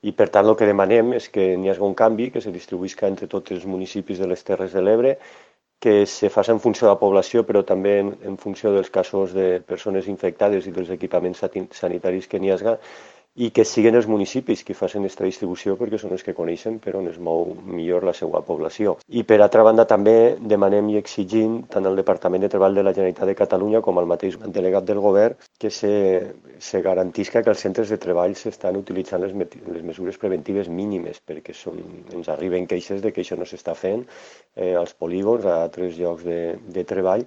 I per tant el que demanem és que n'hi hagi un canvi, que se distribuïsca entre tots els municipis de les Terres de l'Ebre, que se faci en funció de la població, però també en funció dels casos de persones infectades i dels equipaments sanitaris que n'hi hagi, i que siguin els municipis qui facin aquesta distribució perquè són els que coneixen per on es mou millor la seva població. I per altra banda també demanem i exigim tant al Departament de Treball de la Generalitat de Catalunya com al mateix delegat del govern que se garantisca que els centres de treball s'estan utilitzant les mesures preventives mínimes, perquè ens arriben queixes de que això no s'està fent als polígons, a altres llocs de treball,